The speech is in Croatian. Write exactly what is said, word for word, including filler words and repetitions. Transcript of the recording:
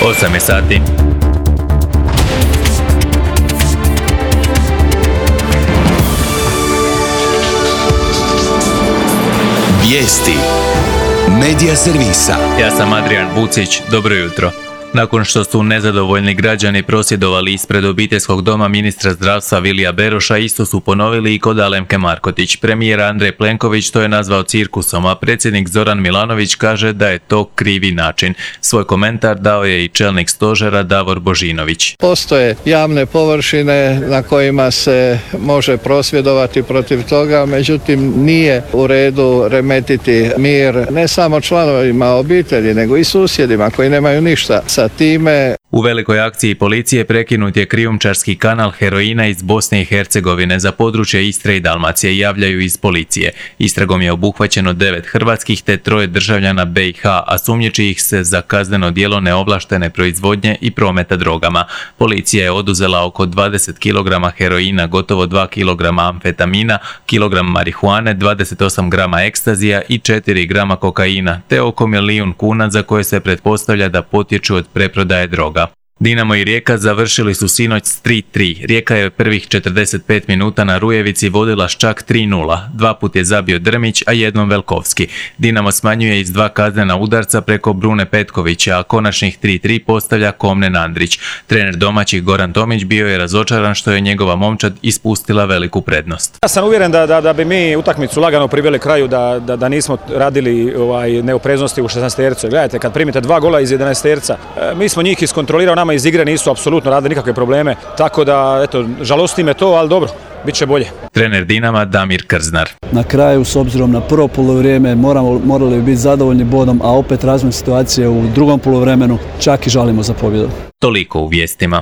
osam je sati. Vijesti Medija servisa. Ja sam Adrian Vucić, dobro jutro. Nakon što su nezadovoljni građani prosvjedovali ispred obiteljskog doma ministra zdravstva Vilija Beroša, isto su ponovili i kod Alemke Markotić. Premijer Andrej Plenković to je nazvao cirkusom, a predsjednik Zoran Milanović kaže da je to krivi način. Svoj komentar dao je i čelnik stožera Davor Božinović. Postoje javne površine na kojima se može prosvjedovati protiv toga, međutim nije u redu remetiti mir ne samo članovima obitelji, nego i susjedima koji nemaju ništa sa time. U velikoj akciji policije prekinut je krijumčarski kanal heroina iz Bosne i Hercegovine za područje Istre i Dalmacije, javljaju iz policije. Istragom je obuhvaćeno devet hrvatskih te troje državljana be i ha, a sumnjiči ih se za kazneno djelo neovlaštene proizvodnje i prometa drogama. Policija je oduzela oko dvadeset kilograma heroina, gotovo dva kilograma amfetamina, kilogram marihuane, dvadeset osam grama ekstazija i četiri grama kokaina, te oko milijun kuna za koje se pretpostavlja da potječu od preprodaje droga. Dinamo i Rijeka završili su sinoć s tri tri. Rijeka je prvih četrdeset pet minuta na Rujevici vodila s čak tri nula. Dva put je zabio Drmić, a jednom Velkovski. Dinamo smanjuje iz dva kaznena udarca preko Brune Petkovića, a konačnih tri tri postavlja Komnen Andrić. Trener domaćih Goran Tomić bio je razočaran što je njegova momčad ispustila veliku prednost. Ja sam uvjeren da, da, da bi mi utakmicu lagano priveli kraju, da, da, da nismo radili ovaj, neopreznosti u šesnaestercu. Gledajte, kad primite dva gola iz jedanaesterca, mi smo njih iskontrolirao, nama iz igre nisu apsolutno radili nikakve probleme, tako da, eto, žalosti me to, ali dobro, bit će bolje. Trener Dinama Damir Krznar. Na kraju, s obzirom na prvo polovrijeme, moramo, morali bi biti zadovoljni bodom, a opet razvoj situacije u drugom polovremenu čak i žalimo za pobjedom. Toliko u vijestima.